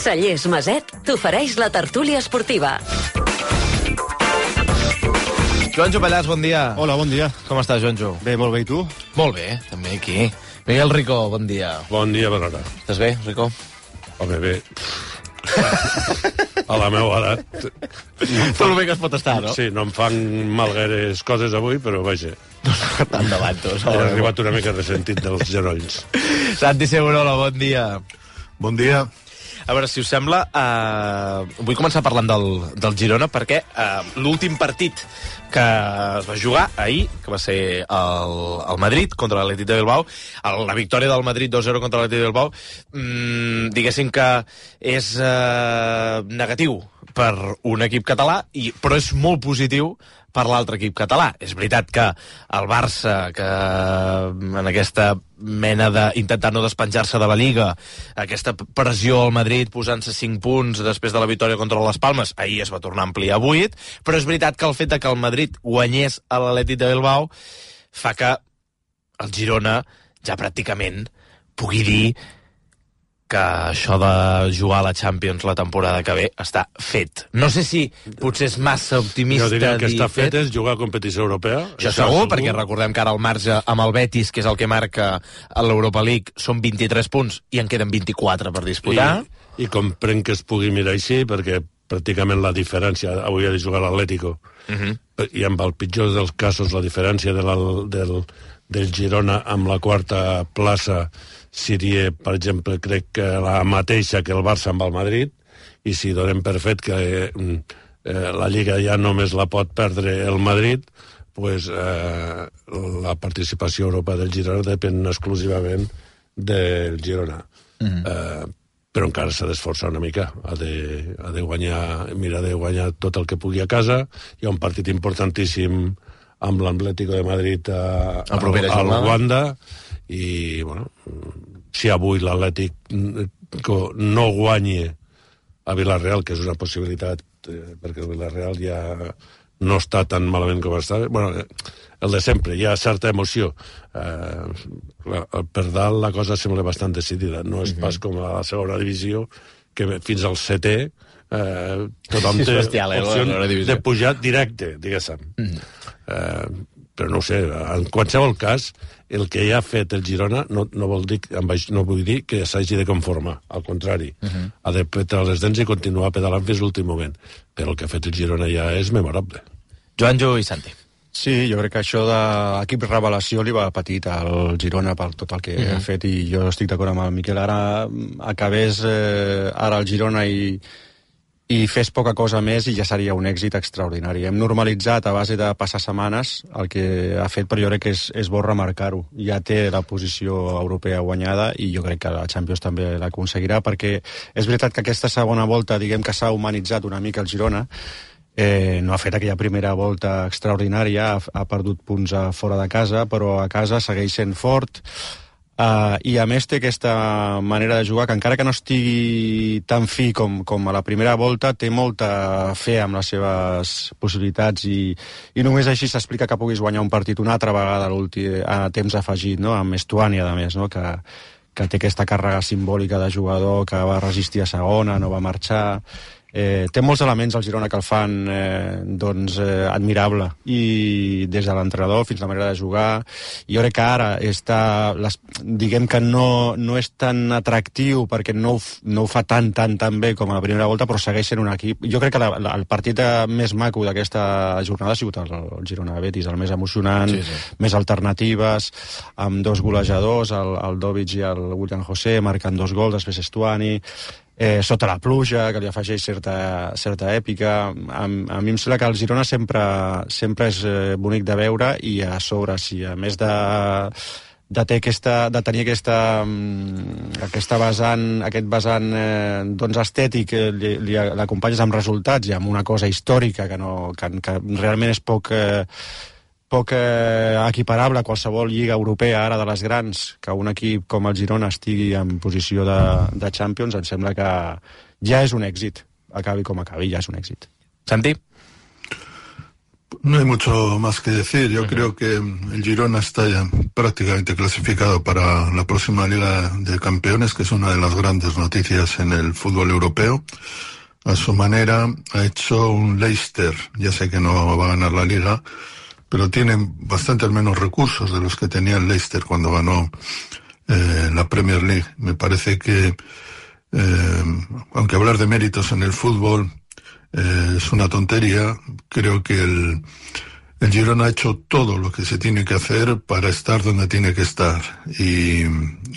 Cellers Maset t'ofereix la tertúlia esportiva. Joanjo Pallàs, bon dia. Hola, bon dia. Com estàs, Joanjo? Bé, molt bé, i tu? Molt bé, també aquí. Miguel Rico, bon dia. Bon dia, bona hora. Estàs bé, Rico? Home, bé. A la meva edat... Tot el bé que es pot estar, no? Sí, no em fan mal gaires coses avui, però vaja. Endavant, tu. He arribat una mica ressentit dels genolls. Santi Segurola, bon dia. Bon dia. A veure, si us sembla, vull començar parlant del Girona, perquè l'últim partit que es va jugar ahir, que va ser el Madrid contra l'Atlètic de Bilbao, la victòria del Madrid 2-0 contra l'Atlètic de Bilbao, diguéssim que és negatiu per un equip català, però és molt positiu per l'altre equip català. És veritat que el Barça, que en aquesta mena d'intentar no despenjar-se de la Lliga, aquesta pressió al Madrid posant-se 5 punts després de la victòria contra les Palmes, ahir es va tornar a ampliar a 8, però és veritat que el fet que el Madrid guanyés a l'Atlètic de Bilbao fa que el Girona ja pràcticament pugui dir que això de jugar a la Champions la temporada que ve està fet. No sé si potser és massa optimista. Jo diria que està fet és jugar a competició europea. Això segur, perquè recordem que ara el marge amb el Betis, que és el que marca a l'Europa League, són 23 punts i en queden 24 per disputar. I comprenc que es pugui mirar així, perquè pràcticament la diferència avui ha de jugar l'Atlético. I amb el pitjor dels casos, la diferència del Girona amb la quarta plaça seria, per exemple, crec que la mateixa que el Barça amb el Madrid, i si donem per fet que la Lliga ja només la pot perdre el Madrid, pues, la participació a Europa del Girona depèn exclusivament del Girona. Però encara s'ha d'esforçar una mica, ha de guanyar, mira de guanyar tot el que pugui a casa. Hi ha un partit importantíssim amb l'Atlético de Madrid al Wanda, i bueno, si avui l'Atlètic no guanyi a Villarreal, que és una possibilitat, perquè el Villarreal ja no està tan malament com estava, bueno, el de sempre, hi ha certa emoció. Per dalt la cosa sembla bastant decidida, no és pas com a la segona divisió, que fins al setè tothom té opció de pujar directe, diguéssim. Però no ho sé, en qualsevol cas, el que ja ha fet el Girona no vull dir que s'hagi de conformar, al contrari. Ha de petar les dents i continuar pedalant fins l'últim moment. Però el que ha fet el Girona ja és memorable. Joanjo i Santi. Sí, jo crec que això d'equip revelació li va petit al Girona per tot el que ha fet, i jo estic d'acord amb el Miquel. Ara acabés ara el Girona i fes poca cosa més i ja seria un èxit extraordinari. Hem normalitzat a base de passar setmanes el que ha fet, però jo crec que és bo remarcar-ho. Ja té la posició europea guanyada i jo crec que la Champions també l'aconseguirà, perquè és veritat que aquesta segona volta, diguem que s'ha humanitzat una mica el Girona, no ha fet aquella primera volta extraordinària, ha perdut punts fora de casa, però a casa segueix sent fort, i a més té aquesta manera de jugar que encara que no estigui tan fi com a la primera volta, té molta fe amb les seves possibilitats, i només així s'explica que puguis guanyar un partit una altra vegada a temps afegit, no? Amb Estuani, a més, no? Que té aquesta càrrega simbòlica de jugador que va resistir a segona, no va marxar. Té molts elements al Girona que el fan admirable, i des de l'entrenador fins a la manera de jugar. Jo crec que ara diguem que no és tan atractiu perquè no ho fa tan bé com a la primera volta, però segueix sent un equip. Jo crec que el partit més maco d'aquesta jornada ha sigut el Girona-Betis, el més emocionant, més alternatives, amb dos golejadors, el Dovic i el William José, marcant 2 gols, després Estuani, sota la pluja, que li afegeix certa èpica. A mi em sembla que el Girona sempre és bonic de veure, i a sobre, si a més de tenir aquest vessant estètic, l'acompanyes amb resultats i amb una cosa històrica que realment és poc equiparable a qualsevol lliga europea ara de les grans, que un equip com el Girona estigui en posició de Champions, em sembla que ja és un èxit. Acabi com acabi, ja és un èxit. Santi? No hay mucho más que decir. Yo creo que el Girona está ya prácticamente clasificado para la próxima Liga de Campeones, que es una de las grandes noticias en el fútbol europeo. A su manera ha hecho un Leicester. Ya sé que no va a ganar la Liga, pero tiene bastantes menos recursos de los que tenía el Leicester cuando ganó la Premier League. Me parece que, aunque hablar de méritos en el fútbol es una tontería, creo que el Girona ha hecho todo lo que se tiene que hacer para estar donde tiene que estar, y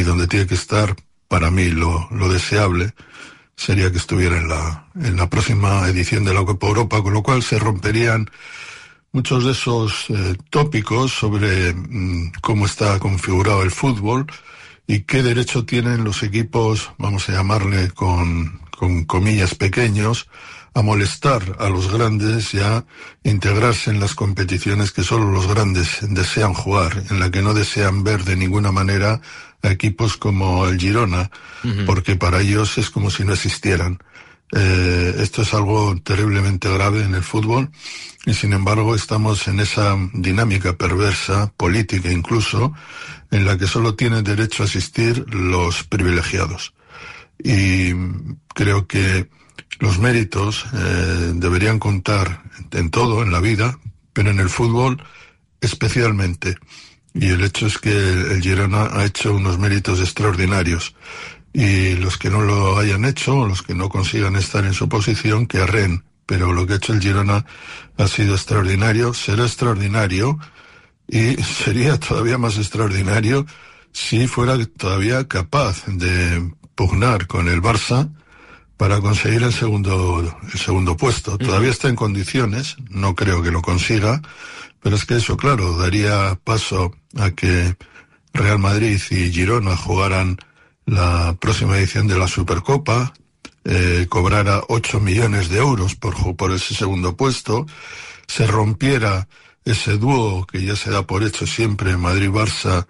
donde tiene que estar, para mí, lo deseable sería que estuviera en la próxima edición de la Copa Europa, con lo cual se romperían muchos de esos tópicos sobre cómo está configurado el fútbol y qué derecho tienen los equipos, vamos a llamarle con comillas, pequeños, a molestar a los grandes y a integrarse en las competiciones que solo los grandes desean jugar, en la que no desean ver de ninguna manera a equipos como el Girona, porque para ellos es como si no existieran. Esto es algo terriblemente grave en el fútbol, y sin embargo estamos en esa dinámica perversa, política incluso, en la que solo tienen derecho a asistir los privilegiados. Y creo que los méritos deberían contar en todo, en la vida, pero en el fútbol especialmente. Y el hecho es que el Girona ha hecho unos méritos extraordinarios. Y los que no lo hayan hecho, los que no consigan estar en su posición, que arreen. Pero lo que ha hecho el Girona ha sido extraordinario, será extraordinario, y sería todavía más extraordinario si fuera todavía capaz de pugnar con el Barça para conseguir el segundo puesto. Todavía está en condiciones, no creo que lo consiga, pero es que eso, claro, daría paso a que Real Madrid y Girona jugaran la próxima edición de la Supercopa, cobrara 8 millones de euros por ese segundo puesto, se rompiera ese dúo que ya se da por hecho siempre Madrid-Barça,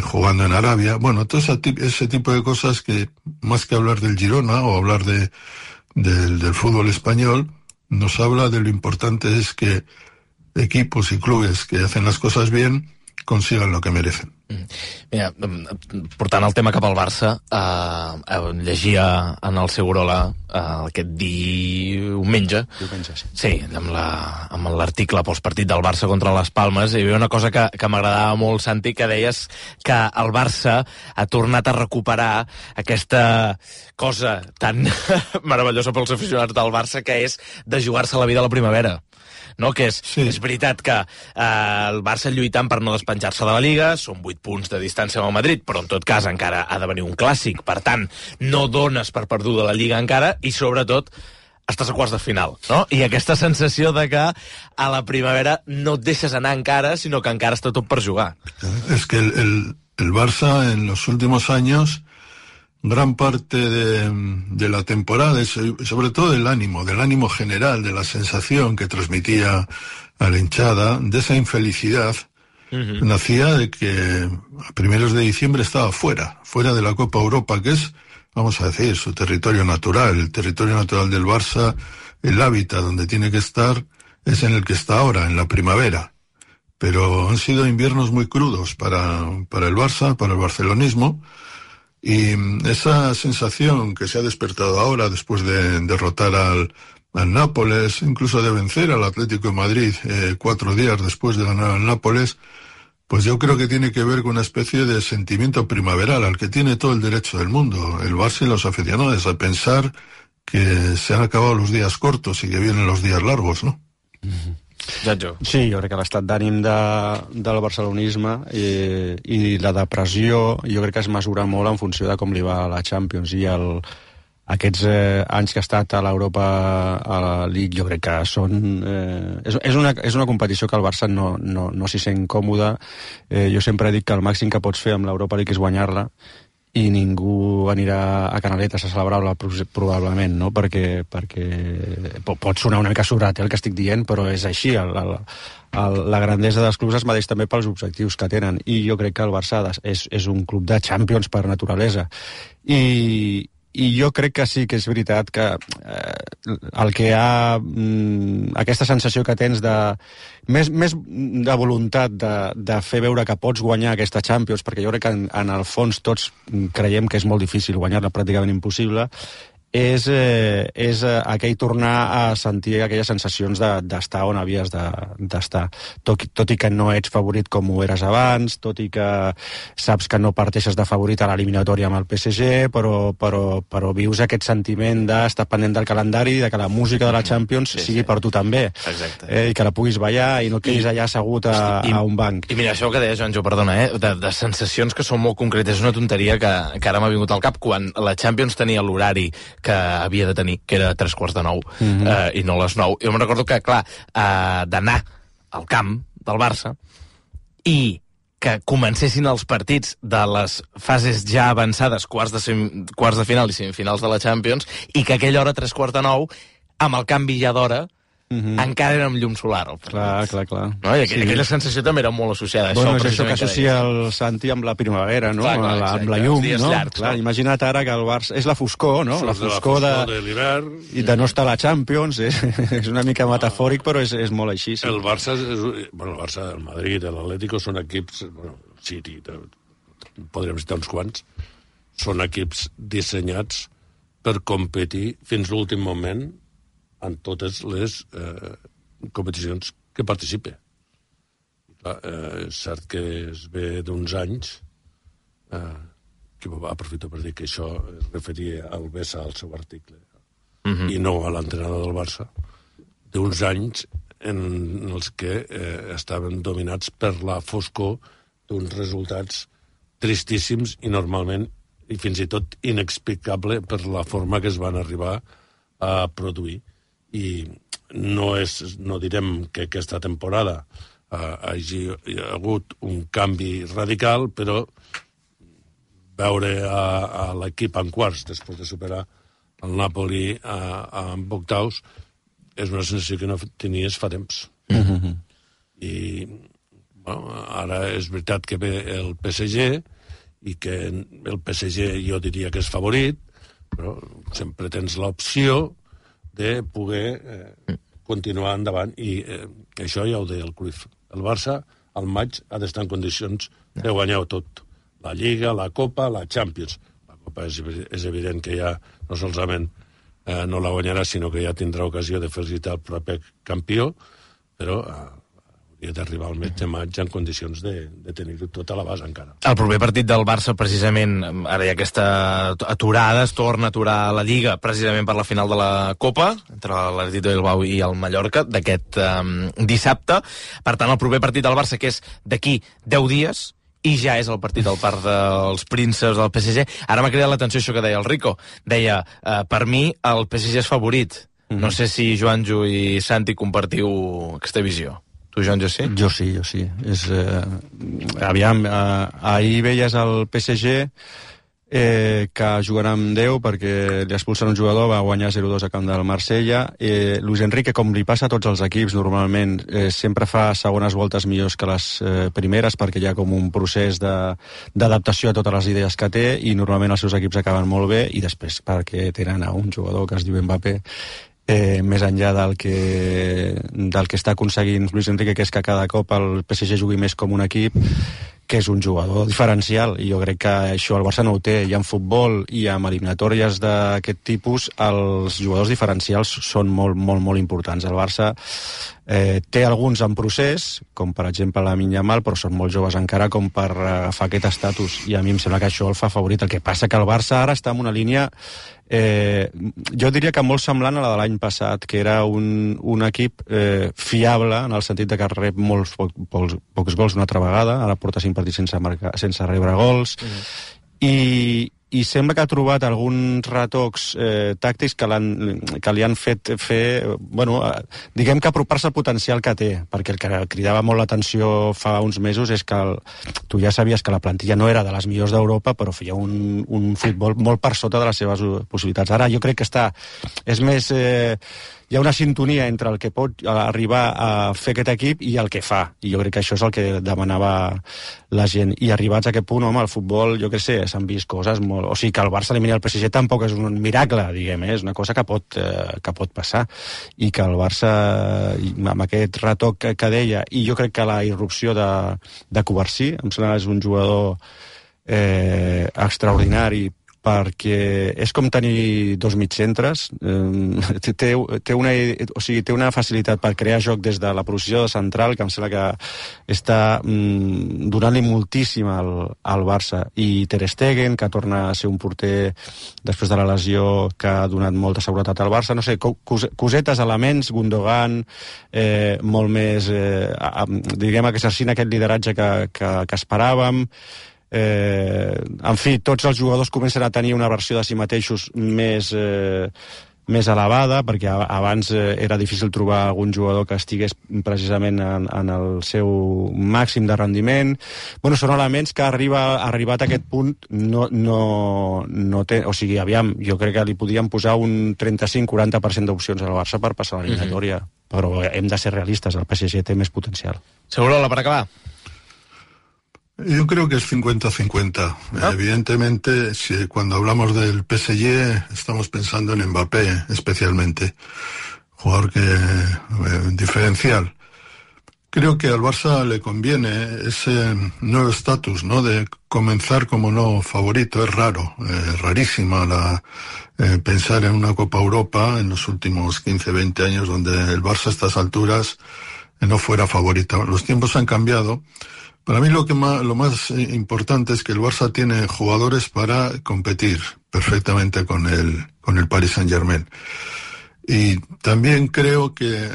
jugando en Arabia. Bueno, todo ese tipo de cosas que, más que hablar del Girona o hablar del fútbol español, nos habla de lo importante es que equipos y clubes que hacen las cosas bien consigan lo que merecen. Mira, portant el tema cap al Barça, llegia en el Segurola aquest diumenge, sí, amb l'article pels partits del Barça contra les Palmes, hi havia una cosa que m'agradava molt, Santi, que deies que el Barça ha tornat a recuperar aquesta cosa tan meravellosa pels aficionats del Barça, que és de jugar-se la vida a la primavera. No? Que és veritat que el Barça lluitant per no despenjar-se de la Liga, són 8 punts de distància amb el Madrid, però en tot cas encara ha de venir un clàssic, per tant no dones per perduda la Lliga encara, i sobretot estàs a quarts de final, no? I aquesta sensació de que a la primavera no et deixes anar encara, sinó que encara està tot per jugar. Es que el Barça en los últimos años, gran parte de la temporada, sobre todo del ánimo general, de la sensación que transmitía a la hinchada, de esa infelicidad, nacía de que a primeros de diciembre estaba fuera de la Copa Europa, que es, vamos a decir, su territorio natural, el territorio natural del Barça, el hábitat donde tiene que estar, es en el que está ahora, en la primavera. Pero han sido inviernos muy crudos para el Barça, para el barcelonismo. Y esa sensación que se ha despertado ahora después de derrotar al Nápoles, incluso de vencer al Atlético de Madrid 4 días después de ganar al Nápoles, pues yo creo que tiene que ver con una especie de sentimiento primaveral al que tiene todo el derecho del mundo, el Barça y los aficionados, a pensar que se han acabado los días cortos y que vienen los días largos, ¿no? Sí, jo crec que l'estat d'ànim del barcelonisme i la depressió jo crec que es mesura molt en funció de com li va a la Champions, i aquests anys que ha estat a l'Europa, a la League, jo crec que són... És una competició que el Barça no s'hi sent còmode. Jo sempre dic que el màxim que pots fer amb l'Europa League és guanyar-la, i ningú anirà a Canaletes a celebrar-la probablement, no? Perquè pot sonar una mica sobrat el que estic dient, però és així. La grandesa dels clubs es medeix també pels objectius que tenen, i jo crec que el Barça és un club de Champions per naturalesa, i I jo crec que sí que és veritat que el que hi ha aquesta sensació que tens de més de voluntat de fer veure que pots guanyar aquesta Champions, perquè jo crec que en el fons tots creiem que és molt difícil guanyar-la, pràcticament impossible, és aquell tornar a sentir aquelles sensacions d'estar on havies d'estar. Tot i que no ets favorit com ho eres abans, tot i que saps que no parteixes de favorit a l'eliminatòria amb el PSG, però vius aquest sentiment d'estar pendent del calendari, de que la música de la Champions sigui per tu també. Exacte. I que la puguis ballar i no quedis allà assegut a un banc. I mira, això que deia Joanjo, perdona, de sensacions que són molt concretes, és una tonteria que ara m'ha vingut al cap, quan la Champions tenia l'horari que havia de tenir, que era 8:45, i no les 9. Jo me'n recordo que, clar, d'anar al camp del Barça i que comencessin els partits de les fases ja avançades, quarts de final i semifinals de la Champions, i que a aquella hora, 8:45, amb el canvi ja d'hora, encara era amb llum solar. Clar. No? I aquella sensació també era molt associada a això. És això que associa el Santi amb la primavera, no? Amb la llum, no? Clar, imagina't ara que el Barça... És la foscor, no? La foscor de l'hivern. I de no estar a la Champions. És una mica metafòric, però és molt així. Sí. El Barça, el Madrid, l'Atlético són equips... City, podríem citar uns quants. Són equips dissenyats per competir fins l'últim moment en totes les competicions que participe. És cert que es ve d'uns anys, que aprofito per dir que això es referia al Bessa al seu article, i no a l'entrenador del Barça, d'uns anys en els que estaven dominats per la foscor d'uns resultats tristíssims i normalment, i fins i tot inexplicable per la forma que es van arribar a produir. I no direm que aquesta temporada hagi hagut un canvi radical, però veure a l'equip en quarts després de superar el Napoli en octaus és una sensació que no tenies fa temps. I ara és veritat que ve el PSG i que el PSG jo diria que és favorit, però sempre tens l'opció de poder continuar endavant, i això ja ho deia el Cruyff. El Barça al maig ha d'estar en condicions de guanyar-ho tot. La Lliga, la Copa, la Champions. La Copa és evident que ja no solament no la guanyarà, sinó que ja tindrà ocasió de felicitar el propi campió, però hauria d'arribar al mes de maig en condicions de tenir-ho tot a l'abast encara. El proper partit del Barça, precisament, ara hi ha aquesta aturada, es torna a aturar la Lliga, precisament per la final de la Copa, entre l'Atlètic de Bilbao i el Mallorca, d'aquest dissabte. Per tant, el proper partit del Barça, que és d'aquí 10 dies, i ja és el partit del Parc dels Prínceps del PSG. Ara m'ha cridat l'atenció això que deia el Rico. Deia, per mi, el PSG és favorit. No sé si Joanjo i Santi compartiu aquesta visió. Tu, Joanjo, sí? Jo sí. Aviam, ahir veies el PSG que jugarà amb 10 perquè li expulsen un jugador, va guanyar 0-2 a camp del Marsella. Luis Enrique, com li passa a tots els equips normalment, sempre fa segones voltes millors que les primeres, perquè hi ha com un procés d'adaptació a totes les idees que té, i normalment els seus equips acaben molt bé, i després perquè tenen a un jugador que es diu Mbappé, més enllà del que està aconseguint Luis Enrique, que és que cada cop el PSG jugui més com un equip, que és un jugador diferencial, i jo crec que això el Barça no ho té, i en futbol i en eliminatòries d'aquest tipus els jugadors diferencials són molt, molt, molt importants. El Barça té alguns en procés, com per exemple Lamine Yamal, però són molt joves encara com per agafar aquest estatus, i a mi em sembla que això el fa favorit. El que passa que el Barça ara està en una línia jo diria que molt semblant a la de l'any passat, que era un equip fiable, en el sentit de que rep molts pocs gols una altra vegada. Ara porta 5 partits sense rebre gols, i sembla que ha trobat alguns retocs tàctics que li han fet fer, diguem que apropar-se al potencial que té, perquè el que cridava molt l'atenció fa uns mesos és que tu ja sabies que la plantilla no era de les millors d'Europa, però feia un futbol molt per sota de les seves possibilitats. Ara jo crec que és més hi ha una sintonia entre el que pot arribar a fer aquest equip i el que fa, i jo crec que això és el que demanava la gent, i arribats a aquest punt, home, el futbol, jo què sé, s'han vist coses molt... O sigui, que el Barça elimini el PSG tampoc és un miracle, diguem, és una cosa que pot passar, i que el Barça, amb aquest retoc que deia, i jo crec que la irrupció de Covarsí, em sembla que és un jugador extraordinari, perquè és com tenir dos mig-centres, té una facilitat per crear joc des de la posició de central, que em sembla que està donant-li moltíssim al Barça, i Ter Stegen, que torna a ser un porter després de la lesió, que ha donat molta seguretat al Barça, no sé, cosetes, elements, Gundogan, molt més, diguem, exercint aquest lideratge que esperàvem. En fi, tots els jugadors comencen a tenir una versió de si mateixos més elevada, perquè abans era difícil trobar algun jugador que estigués precisament en el seu màxim de rendiment. Bueno, són elements que arribat a aquest punt no té... O sigui, aviam, jo crec que li podíem posar un 35-40% d'opcions al Barça per passar l'eliminatòria, però hem de ser realistes, el PSG té més potencial. Segurola, per acabar. Yo creo que es 50-50. Evidentemente, cuando hablamos del PSG, estamos pensando en Mbappé, especialmente. Jugador diferencial. Creo que al Barça le conviene ese nuevo estatus, ¿no? De comenzar como no favorito. Es raro, rarísima pensar en una Copa Europa en los últimos 15-20 años donde el Barça a estas alturas no fuera favorito. Los tiempos han cambiado. Para mí lo más importante es que el Barça tiene jugadores para competir perfectamente con el Paris Saint-Germain. Y también creo que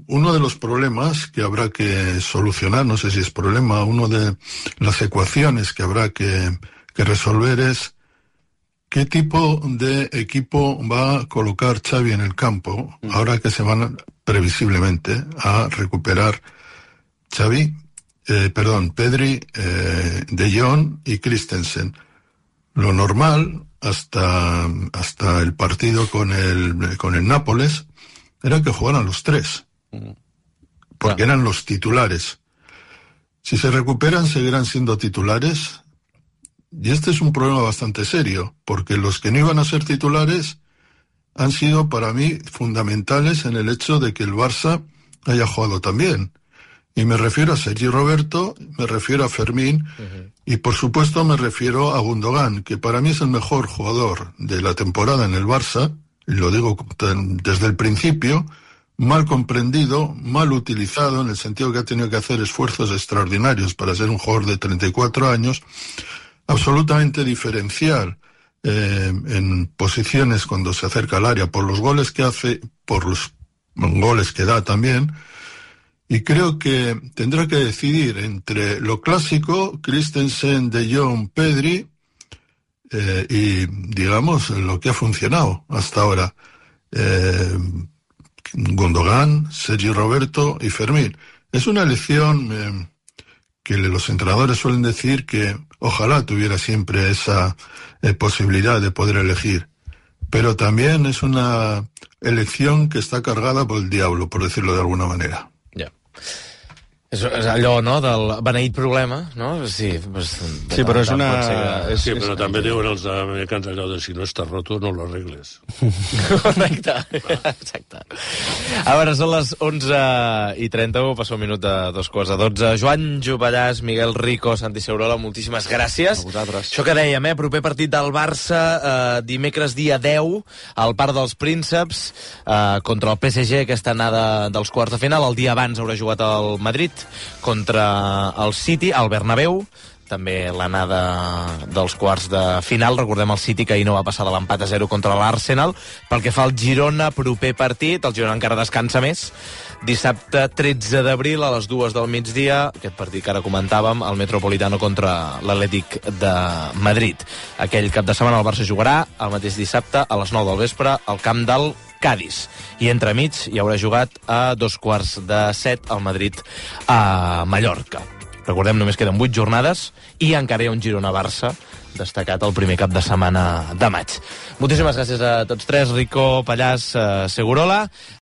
uno de los problemas que habrá que solucionar, no sé si es problema, una de las ecuaciones que habrá que resolver es qué tipo de equipo va a colocar Xavi en el campo, ahora que se van previsiblemente a recuperar Pedri, De Jong y Christensen. Lo normal, hasta el partido con el Nápoles, era que jugaran los tres, porque eran los titulares. Si se recuperan, seguirán siendo titulares, y este es un problema bastante serio, porque los que no iban a ser titulares han sido, para mí, fundamentales en el hecho de que el Barça haya jugado tan bien. Y me refiero a Sergi Roberto, me refiero a Fermín, y por supuesto me refiero a Gundogan, que para mí es el mejor jugador de la temporada en el Barça, y lo digo desde el principio, mal comprendido, mal utilizado, en el sentido que ha tenido que hacer esfuerzos extraordinarios para ser un jugador de 34 años, absolutamente diferencial en posiciones cuando se acerca al área, por los goles que hace, por los goles que da también. Y creo que tendrá que decidir entre lo clásico, Christensen, De Jong, Pedri, y, digamos, lo que ha funcionado hasta ahora. Gundogan, Sergi Roberto y Fermín. Es una elección que los entrenadores suelen decir que ojalá tuviera siempre esa posibilidad de poder elegir. Pero también es una elección que está cargada por el diablo, por decirlo de alguna manera. És allò, no?, del beneït problema, no? Sí, sí, però és una... Sí, però també diuen els americans allò de si no està roto, no lo arregles. Correcte, exacte. A veure, són les 11:31, passa un minut de 2:12. Joan Jovellàs, Miguel Rico, Santi Segurola, moltíssimes gràcies. A vosaltres. Això que dèiem, proper partit del Barça, dimecres dia 10, al Parc dels Prínceps, contra el PSG, aquesta anada dels quarts de final. El dia abans haurà jugat el Madrid contra el City, al Bernabéu, també l'anada dels quarts de final. Recordem el City, que ahir no va passar de l'empat a 0 contra l'Arsenal. Pel que fa al Girona, proper partit, el Girona encara descansa més, dissabte 13 d'abril a les 2 del migdia, aquest partit que ara comentàvem, el Metropolitano contra l'Atlètic de Madrid. Aquell cap de setmana el Barça jugarà el mateix dissabte a les 9 del vespre al camp del Cádiz. I entremig hi haurà jugat a 6:45 al Madrid a Mallorca. Recordem, només queden 8 jornades i encara hi ha un Girona-Barça destacat el primer cap de setmana de maig. Moltíssimes gràcies a tots tres, Rico, Pallàs, Segurola.